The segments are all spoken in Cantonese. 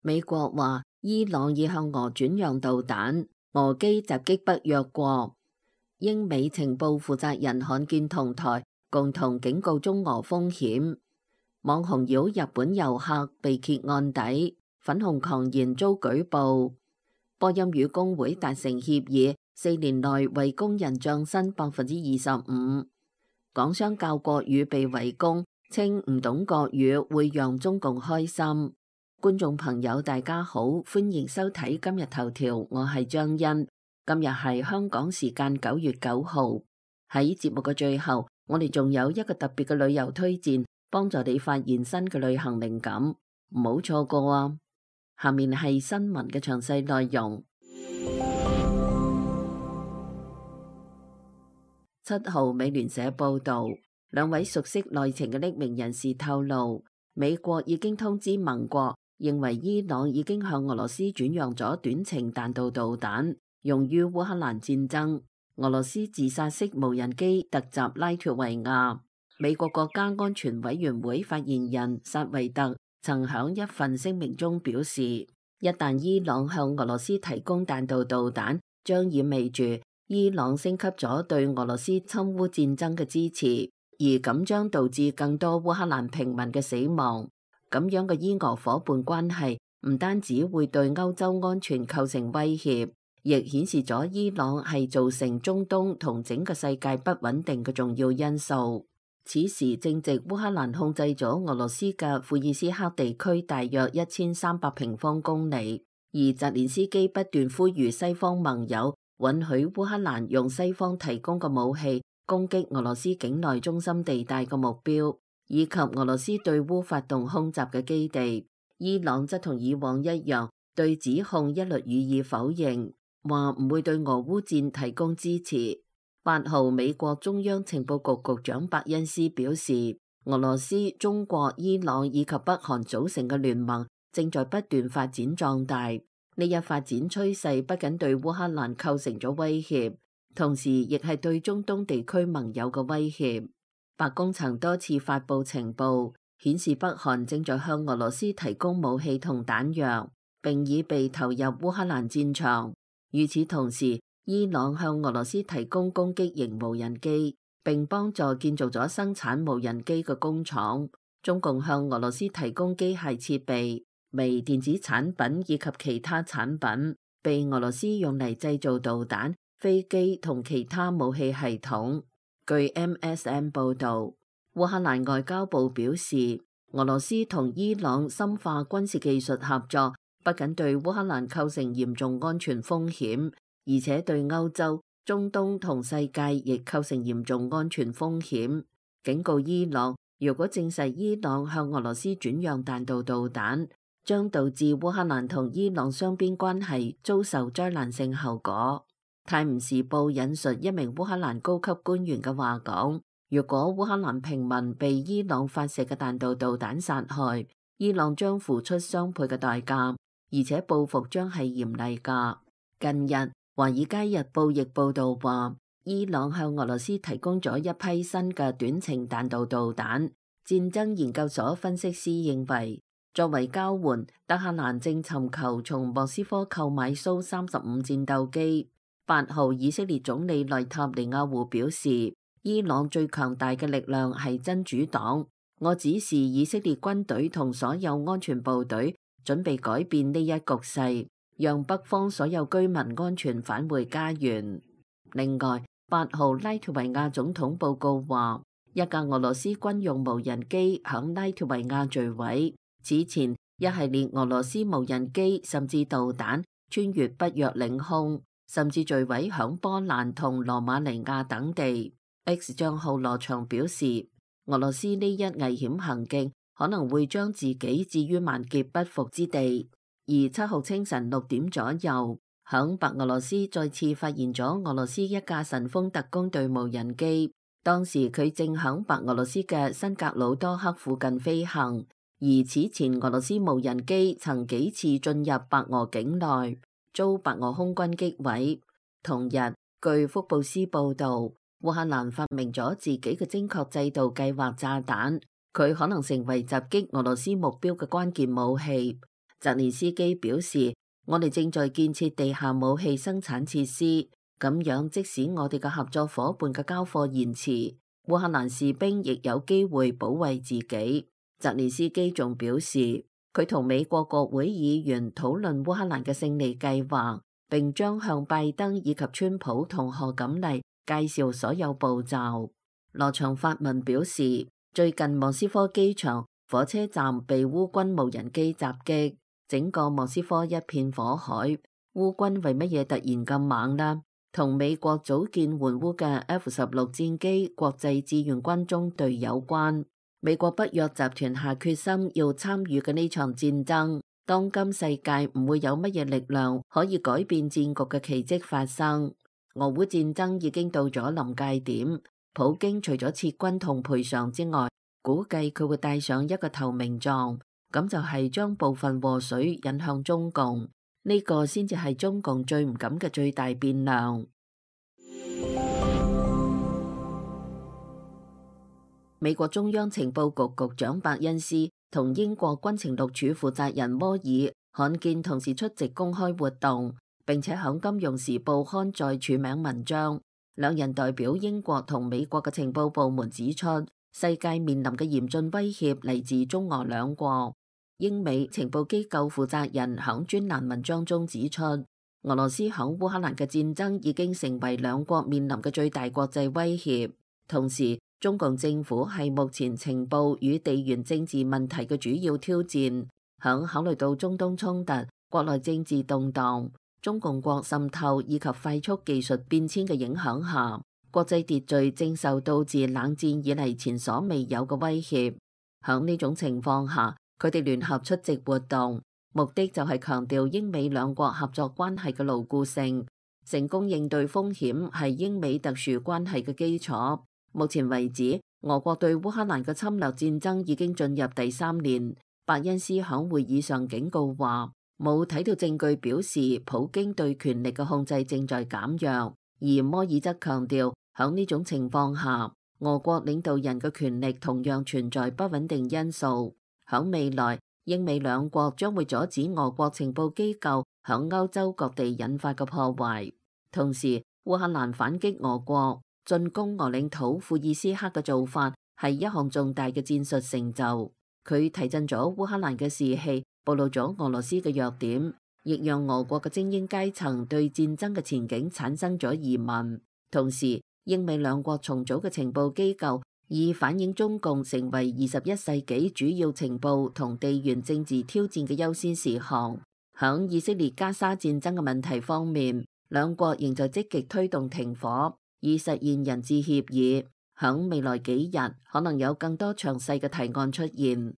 美國話伊朗已向俄轉讓導彈，俄機襲擊北約國。英美情報負責人罕見同台共同警告中俄風險。網紅擾日本遊客被揭案底，粉紅狂言遭舉報。波音與工會達成協議，4年內為工人漲薪25%。港商教國語被圍攻，稱唔懂國語會讓中共開心。觀眾朋友大家好，歡迎收睇今日頭條，我係張欣。今日係香港時間9月9號。喺節目嘅最後，我哋仲有一個特別嘅旅遊推薦，幫助你發現新嘅旅行靈感，唔好錯過啊！下面係新聞嘅詳細內容。7號美聯社報道，兩位熟悉內情嘅匿名人士透露，美國已經通知盟國，認為伊朗已經向俄羅斯轉讓咗短程彈道導彈，用於烏克蘭戰爭。俄羅斯自殺式無人機突襲拉脫維亞。美國國家安全委員會發言人薩維特曾響一份聲明中表示，一旦伊朗向俄羅斯提供彈道導彈，將意味住伊朗升級咗對俄羅斯侵烏戰爭嘅支持，而咁將導致更多烏克蘭平民嘅死亡。咁樣嘅伊俄夥伴關係唔單止會對歐洲安全構成威脅，亦顯示咗伊朗係造成中東同整個世界不穩定嘅重要因素。此時正值烏克蘭控制咗俄羅斯嘅庫爾斯克地區大約1300平方公里，而澤連斯基不斷呼籲西方盟友允許烏克蘭用西方提供嘅武器攻擊俄羅斯境內中心地帶嘅目標，以及俄羅斯對烏發動空襲嘅基地。伊朗則同以往一樣，對指控一律予以否認，話唔會對俄烏戰提供支持。8號，美國中央情報局局長伯恩斯表示，俄羅斯、中國、伊朗以及北韓組成嘅聯盟正在不斷發展壯大。呢一發展趨勢不僅對烏克蘭構成咗威脅，同時亦係對中東地區盟友嘅威脅。白宮曾多次發布情報，顯示北韓正在向俄羅斯提供武器同彈藥，並已被投入烏克蘭戰場。與此同時，伊朗向俄羅斯提供攻擊型無人機，並幫助建造咗生產無人機嘅工廠。中共向俄羅斯提供機械設備、微電子產品以及其他產品，被俄羅斯用嚟製造導彈、飛機同其他武器系統。據 MSN 報導，烏克蘭外交部表示，俄羅斯同伊朗深化軍事技術合作，不僅對烏克蘭構成嚴重安全風險，而且對歐洲、中東同世界亦構成嚴重安全風險。警告伊朗，如果證實伊朗向俄羅斯轉讓彈道導彈，將導致烏克蘭同伊朗雙邊關係遭受災難性後果。泰晤士報引述一名烏克蘭高級官員嘅話講，如果烏克蘭平民被伊朗發射嘅彈道導彈殺害，伊朗將付出雙倍嘅代價，而且報復將係嚴厲㗎。近日，《華爾街日報》亦報導話，伊朗向俄羅斯提供咗一批新嘅短程彈道導彈。戰爭研究所分析師認為，作為交換，德黑蘭正尋求從莫斯科購買蘇35戰鬥機。8號，以色列總理內塔尼亞胡表示，伊朗最強大嘅力量係真主黨。我指示以色列軍隊同所有安全部隊準備改變呢一局勢，讓北方所有居民安全返回家園。另外，8號，拉脫維亞總統報告話，一架俄羅斯軍用無人機響拉脫維亞墜毀。此前，一系列俄羅斯無人機甚至導彈穿越北約領空，甚至墜毀響波蘭同羅馬尼亞等地。X 帳號羅翔表示，俄羅斯呢一危險行徑可能會將自己置於萬劫不復之地。而7號清晨6點左右，響白俄羅斯再次發現咗俄羅斯一架神風特工隊無人機，當時佢正響白俄羅斯嘅新格魯多克附近飛行。而此前俄羅斯無人機曾幾次進入白俄境內，遭白俄空軍擊毀。同日，據福布斯報導，烏克蘭發明咗自己嘅精確制導計劃炸彈，佢可能成為襲擊俄羅斯目標嘅關鍵武器。澤連斯基表示，我哋正在建設地下武器生產設施，咁樣即使我哋嘅合作夥伴嘅交貨延遲，烏克蘭士兵亦有機會保衛自己。澤連斯基仲表示，佢同美國國會議員討論烏克蘭嘅勝利計劃，並將向拜登以及川普同賀錦麗介紹所有步驟。羅長發文表示，最近莫斯科機場、火車站被烏軍無人機襲擊，整個莫斯科一片火海。烏軍為乜嘢突然咁猛呢？同美國組建援烏嘅 F-16戰機國際志願軍中隊有關。美國北約集團下決心要參與嘅呢場戰爭，當今世界唔會有乜嘢力量可以改變戰局嘅奇蹟發生。俄烏戰爭已經到咗臨界點，普京除咗撤軍同賠償之外，估計佢會帶上一個投名狀，咁就係將部分禍水引向中共，呢個先至係中共最唔敢嘅最大變量。美國中央情報局局長伯恩斯同英國軍情六處負責人摩爾罕見同時出席公開活動，並且響《金融時報》刊載署名文章。兩人代表英國同美國嘅情報部門指出，世界面臨嘅嚴峻威脅嚟自中俄兩國。英美情報機構負責人響專欄文章中指出，俄羅斯響烏克蘭嘅戰爭已經成為兩國面臨嘅最大國際威脅。同時，中共政府係目前情報與地緣政治問題嘅主要挑戰。響考慮到中東衝突、國內政治動盪、中共國滲透以及快速技術變遷嘅影響下，國際秩序正受到自冷戰以嚟前所未有嘅威脅。響呢種情況下，佢哋聯合出席活動，目的就係強調英美兩國合作關係嘅牢固性。成功應對風險係英美特殊關係嘅基礎。目前為止，俄國對烏克蘭嘅侵略戰爭已經進入第3年。伯恩斯響會議上警告話，冇睇到證據表示普京對權力嘅控制正在減弱，而摩爾則強調，響呢種情況下，俄國領導人嘅權力同樣存在不穩定因素。響未來，英美兩國將會阻止俄國情報機構響歐洲各地引發嘅破壞。同時，烏克蘭反擊俄國進攻俄領土庫爾斯克嘅做法係一項重大嘅戰術成就，佢提振咗烏克蘭嘅士氣，暴露咗俄羅斯嘅弱點，亦讓俄國嘅精英階層對戰爭嘅前景產生咗疑問。同時，英美兩國重組嘅情報機構以反映中共成為21世紀主要情報同地緣政治挑戰嘅優先事項。響以色列加沙戰爭嘅問題方面，兩國仍在積極推動停火，以實現人質協議。響未來幾日，可能有更多詳細嘅提案出現。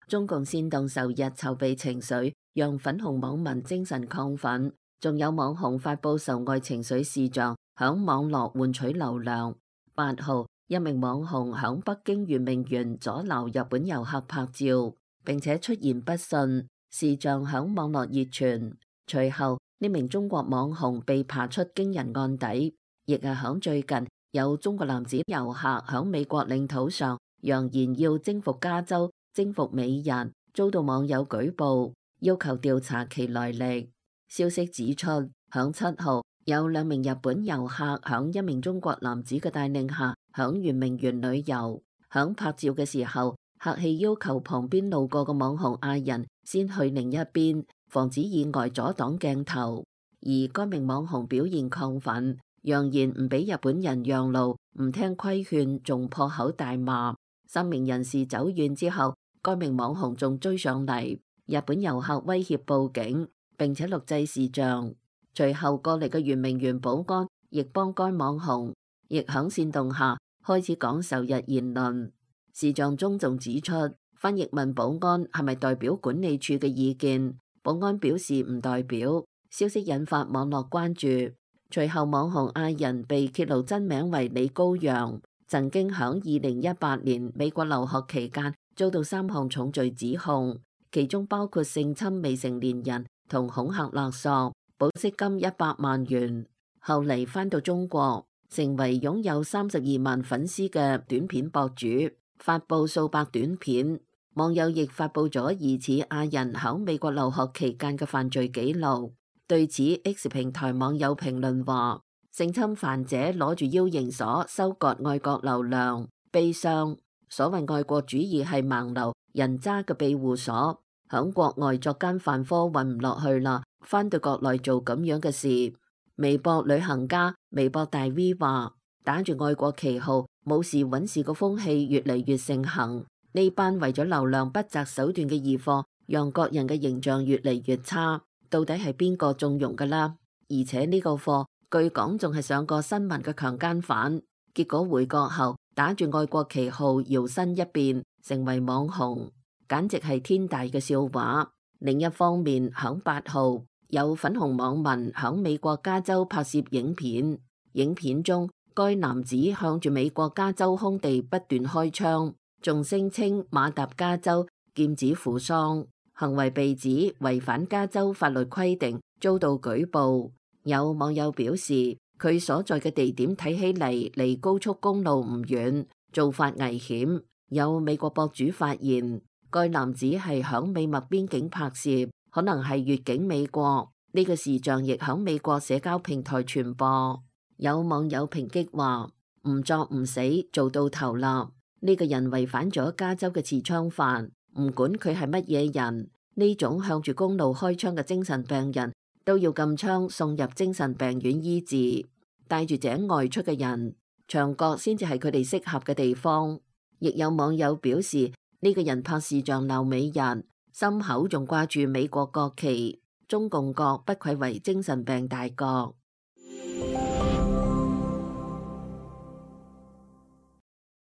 中共煽動仇日籌備情緒，讓粉紅網民精神亢奮，仲有網紅發佈仇外情緒視像，響網絡換取流量。8號，一名網紅響北京圓明園阻撓日本遊客拍照，並且出言不遜，視像響網絡熱傳。隨後，呢名中國網紅被扒出驚人案底，亦係響最近有中國男子遊客響美國領土上揚言要征服加州、征服美人，遭到網友舉報，要求調查其來歷。消息指出，響7號有2名日本遊客響一名中國男子嘅帶領下響圓明園旅遊，響拍照嘅時候，客氣要求旁邊路過嘅網紅嗌人先去另一邊，防止意外阻擋鏡頭。而該名網紅表現亢奮，揚言唔俾日本人讓路，唔聽規勸，仲破口大罵。3名人士走遠之後，該名網紅仲追上嚟，日本遊客威脅報警，並且錄製視像。隨後過嚟嘅圓明園保安亦幫該網紅，亦響煽動下開始講仇日言論。視像中仲指出，翻譯問保安係咪代表管理處嘅意見，保安表示唔代表。消息引發網絡關注。隨後網紅嗌人被揭露真名為李高陽，曾經響2018年美國留學期間遭到3項重罪指控，其中包括性侵未成年人同恐嚇勒索，保釋金100萬元。後嚟返到中國，成為擁有32萬粉絲嘅短片博主。發布數百短片。網友亦發布咗疑似亞人喺美國留學期間嘅犯罪記錄。對此 X 平台網友評論話：性侵犯者攞住 U 型鎖收割外國流量，悲傷。所謂愛國主義係盲流人渣嘅庇護所，響國外作奸犯科混唔落去啦，返到國內做咁樣嘅事。微博旅行家、微博大 V 話：打住愛國旗號冇事揾事個風氣越嚟越盛行，呢班為咗流量不擇手段嘅異貨，讓國人嘅形象越嚟越差。到底係邊個縱容㗎啦？而且呢個貨據講仲係上過新聞嘅強姦犯，結果回國後打住愛國旗號搖身一變成為網紅，簡直係天大嘅笑話。另一方面，響8號有粉紅網民響美國加州拍攝影片，影片中該男子向住美國加州空地不斷開槍，仲聲稱馬達加州劍指扶桑，行為被指違反加州法律規定，遭到舉報。有網友表示，佢所在嘅地點睇起嚟離高速公路唔遠，做法危險。有美國博主發現，該男子係響美墨邊境拍攝，可能係越境美國。呢個視像亦響美國社交平台傳播。有網友抨擊話：唔作唔死，做到頭立。呢個人違反咗加州嘅持槍法，唔管佢係乜嘢人，呢種向住公路開槍嘅精神病人都要禁槍送入精神病院醫治。帶住井外出嘅人，牆角先至係佢哋適合嘅地方。亦有網友表示，呢個人拍視像鬧美人，心口仲掛住美國國旗，中共國不愧為精神病大國。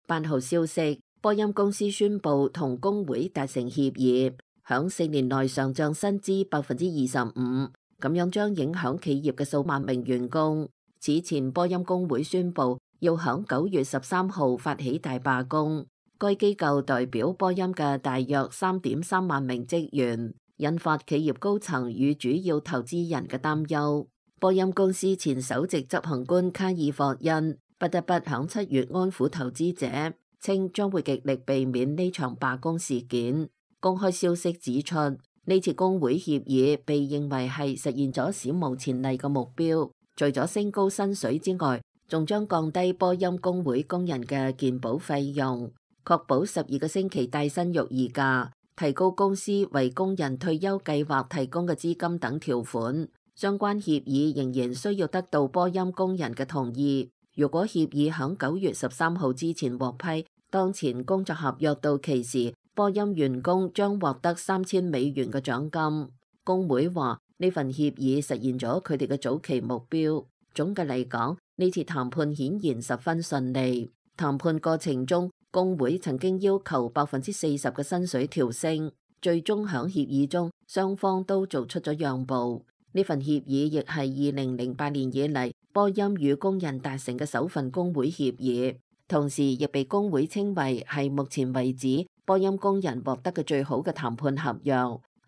8號消息，波音公司宣布同工會達成協議，響4年內上漲薪資25%，咁樣將影響企業嘅數萬名員工。此前波音工會宣布要響9月13號發起大罷工，該機構代表波音嘅大約3.3萬名職員，引發企業高層與主要投資人嘅擔憂。波音公司前首席執行官卡爾霍恩不得不響7月安撫投資者，稱將會極力避免呢場罷工事件。公開消息指出，呢次工會協議被認為係實現咗史無前例嘅目標，除咗升高薪水之外，仲將降低波音工會工人嘅健保費用，確保12個星期帶薪育兒假，提高公司為工人退休計劃提供嘅資金等條款。相關協議仍然需要得到波音工人嘅同意。如果協議響9月13號之前獲批，當前工作合約到期時，波音員工將獲得$3000嘅獎金。工會話呢份協議實現咗佢哋嘅早期目標。總嘅嚟講，呢次談判顯然十分順利。談判過程中，工會曾經要求40%嘅薪水調升，最終響協議中，雙方都做出咗讓步。呢份協議亦係2008年以嚟波音與工人達成嘅首份工會協議，同時亦被工會稱為係目前為止波音工人獲得嘅最好嘅談判合約。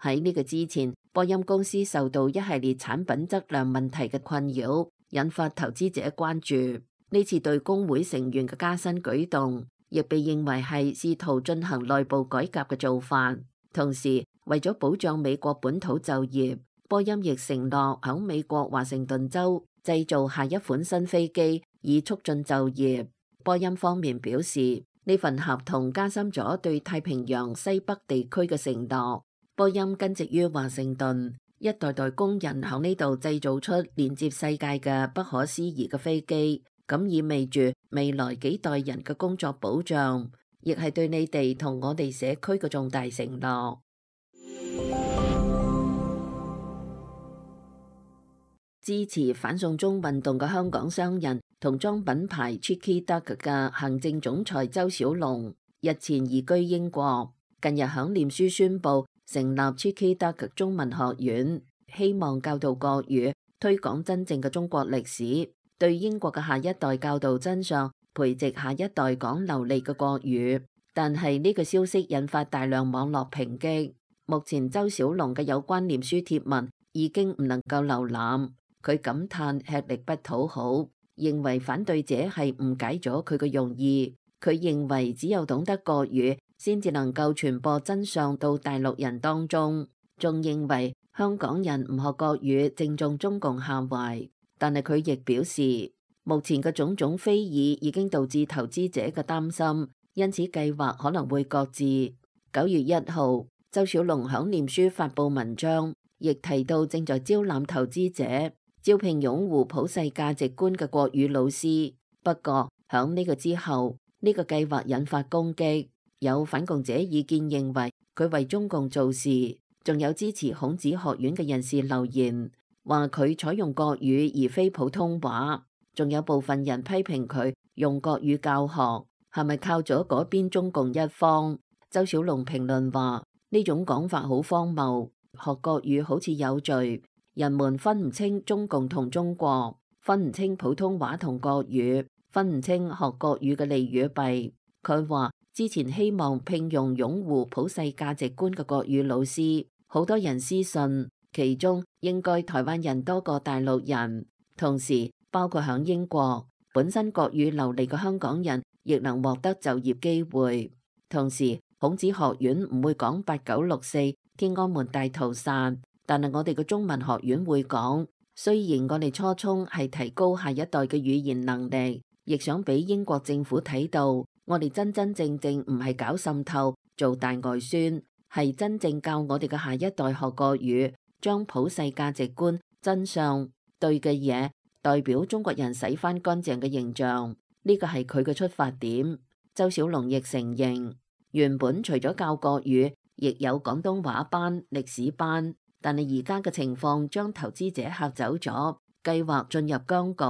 喺呢個之前，波音公司受到一系列產品質量問題嘅困擾，引發投資者關注。呢次對工會成員嘅加薪舉動，亦被認為係試圖進行內部改革嘅做法。同時，為咗保障美國本土就業，波音亦承諾喺美國華盛頓州製造下一款新飛機，以促進就業。波音方面表示，呢份合同加深咗對太平洋西北地區嘅承諾。波音根植於華盛頓，一代代工人喺呢度製造出連接世界嘅不可思議嘅飛機，咁意味住未來幾代人嘅工作保障，亦係對你哋同我哋社區嘅重大承諾。支持反送中運動嘅香港商人同裝品牌 Cheeky Duck 嘅行政總裁周小龍日前移居英國，近日響臉書宣布成立 Cheeky Duck 中文學院，希望教導國語，推廣真正嘅中國歷史，對英國嘅下一代教導真相，培植下一代講流利嘅國語。但係呢個消息引發大量網絡抨擊，目前周小龍嘅有關臉書貼文已經唔能夠瀏覽。佢感嘆吃力不討好，認為反對者係誤解咗佢嘅用意，佢認為只有懂得國語，先至能夠傳播真相到大陸人當中。仲認為香港人唔學國語正中中共下懷，但係佢亦表示，目前嘅種種非議已經導致投資者嘅擔心，因此計劃可能會擱置。9月1號，周小龍響臉書發布文章，亦提到正在招攬投資者，招聘擁護普世價值觀嘅國語老師。不過響呢個之後，呢個計劃引發攻擊，有反共者意見認為佢為中共做事，仲有支持孔子學院嘅人士留言，話佢採用國語而非普通話，仲有部分人批評佢用國語教學，係咪靠咗嗰邊中共一方？周小龍評論話，呢種講法好荒謬，學國語好似有罪，人們分唔清中共同中國，分唔清普通話同國語，分唔清學國語嘅利與弊。佢話之前希望聘用擁護普世價值觀嘅國語老師，好多人私信，其中應該台灣人多過大陸人，同時包括響英國，本身國語流利嘅香港人亦能獲得就業機會。同時孔子學院唔會講8964天安門大屠殺，但係我哋嘅中文學院會講。雖然我哋初衷係提高下一代嘅語言能力，亦想俾英國政府睇到，我哋真真正正唔係搞滲透做大外宣，係真正教我哋嘅下一代學國語，將普世價值觀、真相、對嘅嘢代表中國人洗翻乾淨嘅形象，呢個係佢嘅出發點。周小龍亦承認，原本除咗教國語，亦有廣東話班、歷史班，但係而家嘅情況將投資者嚇走咗，計劃進入僵局。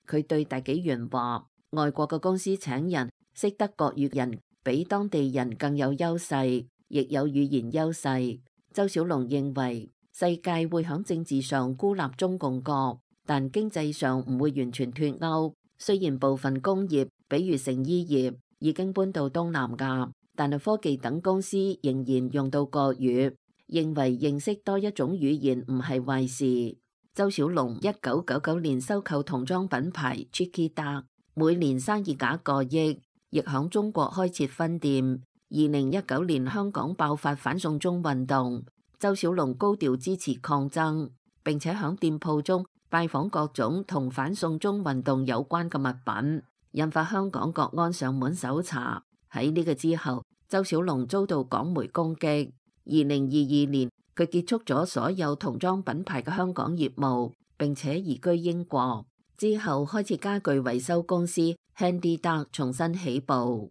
佢對大紀元話，外國嘅公司請人識得國語人比當地人更有優勢，亦有語言優勢。周小龍認為世界會響政治上孤立中共國，但經濟上唔會完全脫鈎。雖然部分工業，比如成衣業已經搬到東南亞，但係科技等公司仍然用到國語，認為認識多一種語言唔係壞事。周小龍1999年收購童裝品牌 Chiquita， 每年生意額過億，亦響中國開設分店。2019年香港爆發反送中運動，周小龍高調支持抗爭，並且響店鋪中拜訪各種同反送中運動有關嘅物品，引發香港國安上門搜查。喺呢個之後，周小龍遭到港媒攻擊。2022年，佢結束咗所有童裝品牌嘅香港業務，並且移居英國。之後開設家具維修公司 Handy Duck， 重新起步。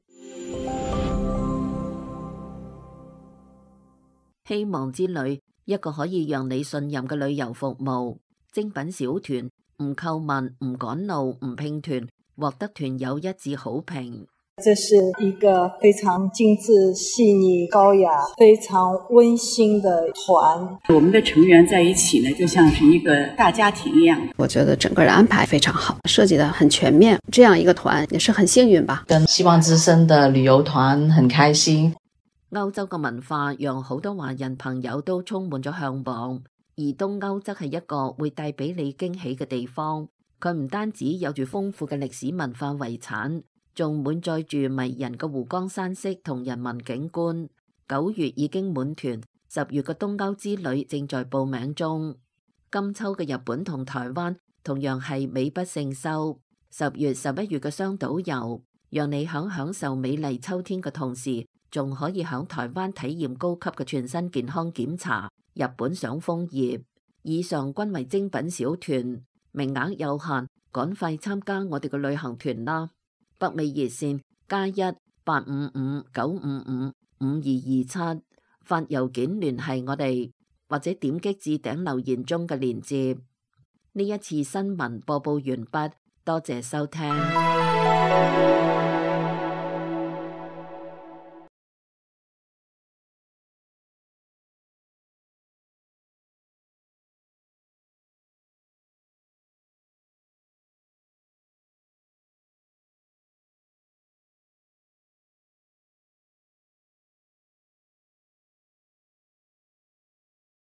希望之旅，一個可以讓你信任嘅旅遊服務。精品小團，唔購物，唔趕路，唔拼團，獲得團友一致好評。這是一個非常精緻、細膩、高雅、非常溫馨的團。我們的成員在一起呢，就像是一個大家庭一樣。我覺得整個的安排非常好，設計得很全面。這樣一個團也是很幸運吧。跟希望之聲的旅遊團很開心。歐洲嘅文化讓好多華人朋友都充滿咗向往，而東歐則係一個會帶俾你驚喜嘅地方。佢唔單止有住豐富嘅歷史文化遺產，仲滿載住迷人嘅湖光山色同人文景觀。9月已經滿團，10月嘅東歐之旅正在報名中。今秋嘅日本同台灣同樣係美不勝收。10月、11月嘅雙島遊，讓你享受美麗秋天嘅同時，仲可以響台灣體驗高級嘅全身健康檢查，日本賞楓葉。以上均為精品小團，名額有限，趕快參加我哋嘅旅行團啦！北美熱線+1-855-955-5227，發郵件聯繫我哋，或者點擊置頂留言中嘅鏈接。呢一次新聞播報完畢，多謝收聽。